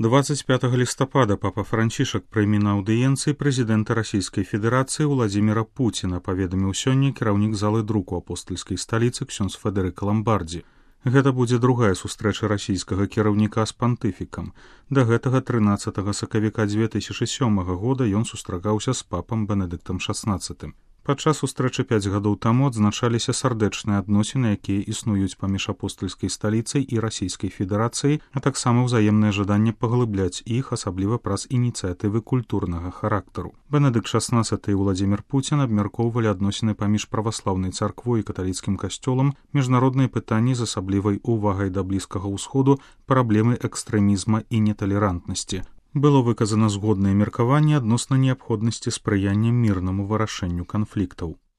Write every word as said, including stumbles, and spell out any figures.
двадцать пятого лістапада папа Францішак прыме на аўдыенцыі прэзідэнта Расійскай Федэрацыі Владзіміра Пуціна, паведаміў сёння кіраўнік залы друку апостальскай сталіцы ксёндз Федэрыка Ламбардзі. Гэта будзе другая сустрэча расійскага кіраўніка з пантыфікам. Да гэтага трынаццатага сакавіка дзве тысячы сёмага года ён сустракаўся з папам Бенедыктам шаснаццатым. Падчас сустрэчы пяць гадоў таму адзначаліся сардэчныя адносіны, якія існуюць паміж апостальскай сталіцай і Расійскай Федэрацыяй, а таксама ўзаемнае жаданне паглыбляць іх, асабліва праз ініцыятывы культурнага характару. Бенедыкт шаснаццаты і Владзімір Пуцін абмяркоўвалі адносіны паміж праваслаўнай царквой і каталіцкім касцёлам, міжнародныя пытанні з асаблівай увагай да Блізкага ўсходу, праблемы экстрэмізма і неталерантнасці. Было выказана згоднае меркаванне адносна неабходнасці спрыяння мірнаму вырашэнню канфліктаў.